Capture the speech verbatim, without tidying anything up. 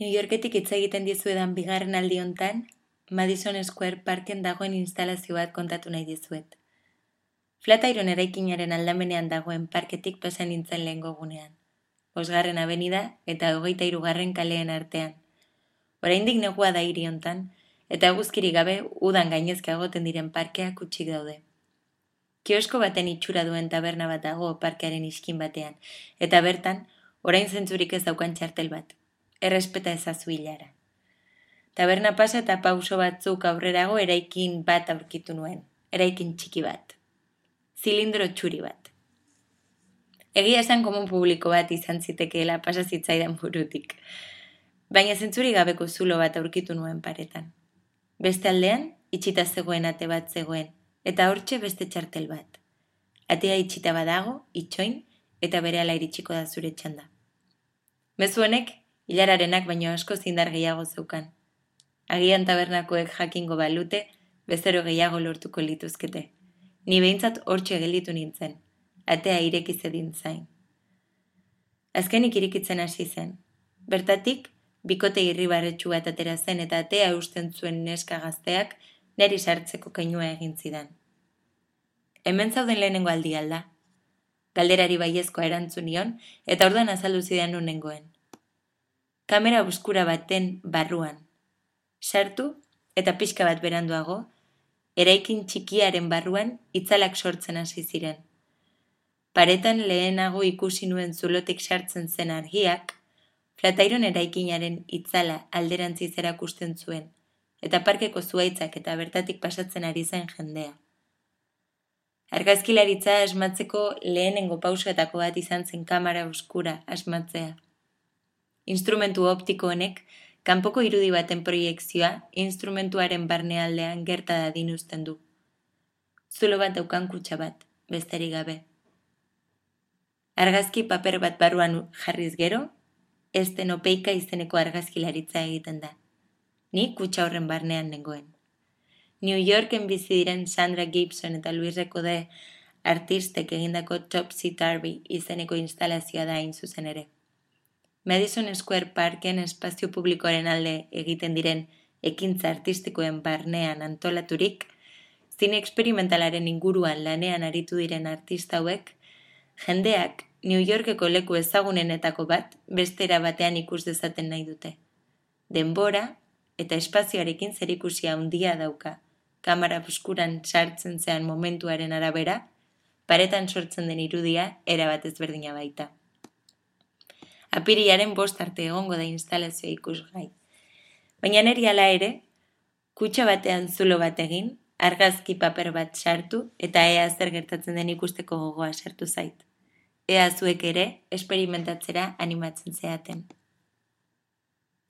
New Yorketik hitz egiten dizuedan bigarren aldi hontan, Madison Square Parken dagoen instalazio bat kontatu nahi dizuet. Flatiron eraikinaren aldamenean dagoen parketik pasa nintzen lehengo gunean. Bosgarren abenida eta hogeita hirugarren kaleen artean. Oraindik negua da hiri hontan, eta eguzkirik gabe udan gainezka egoten diren parkeak hutsik daude. Kiosko baten itxura duen taberna bat dago parkearen iskin batean, eta bertan, orain zentzurik ez daukan txartel bat. Errespeta ezazu hilara. Taberna pasa eta pauso batzuk aurrerago eraikin bat aurkitu nuen, eraikin txiki bat. Zilindro txuri bat. Egia esan komun publiko bat izan zitekeela pasa zitzaidan burutik, baina zentzuri gabeko zulo bat aurkitu nuen paretan. Beste aldean, itxita zegoen ate bat zegoen, eta hortxe beste txartel bat. Atea itxita badago, itxoin, eta berehala iritsiko da zure txanda. Mezu honek, hilararenak baino asko zindar gehiago zeukan. Agian tabernakoek jakingo balute, bezero gehiago lortuko lituzkete. Ni behintzat hortxe gelditu nintzen, atea ireki zedin zain. Azkenik irikitzen hasi zen. Bertatik, bikote irribarretxu bat atera zen eta atea eusten zuen neska gazteak neri sartzeko keinua egin zidan. Hemen zauden lehenengo aldi alda. Galderari baiezkoa erantzun nion eta orduan azaldu zidan nunengoen. Kamera oskura baten barruan. Sartu eta pixka bat beranduago, eraikin txikiaren barruan itzalak sortzen hasi ziren. Paretan lehenago ikusi nuen zulotik sartzen zen argiak, Flatiron eraikinaren itzala alderantziz erakusten zuen, eta parkeko zuaitzak eta bertatik pasatzen ari zen jendea. Argazkilaritza asmatzeko lehenengo pausoetako bat izan zen kamera oskura asmatzea. Instrumentu optiko honek, kanpoko irudi baten proiekzioa instrumentuaren barnealdean gerta dadin uzten du. Zulo bat daukan kutxa bat, besterik gabe. Argazki paper bat barruan jarriz gero, estenopeika izeneko argazkilaritza egiten da. Ni kutxa horren barnean nengoen. New Yorken bizi diren Sandra Gibson eta Luis Recode artistek egindako Topsy Turvy izeneko instalazioa da hain zuzen ere. Madison Square Parken espazio publikoaren alde egiten diren ekintza artistikoen barnean antolaturik, zine eksperimentalaren inguruan lanean aritu diren artista hauek, jendeak New Yorkeko leku ezagunenetako bat bestera batean ikus dezaten nahi dute. Denbora eta espazioarekin zerikusia handia dauka, kamera buskuran sartzen zean momentuaren arabera, paretan sortzen den irudia erabat ezberdina baita. Apirilaren bost arte egongo da instalazioa ikusgai. Baina neri hala ere, kutxa batean zulo bat egin, argazki paper bat sartu eta ea zer gertatzen den ikusteko gogoa sartu zait. Ea zuek ere esperimentatzera animatzen zeaten.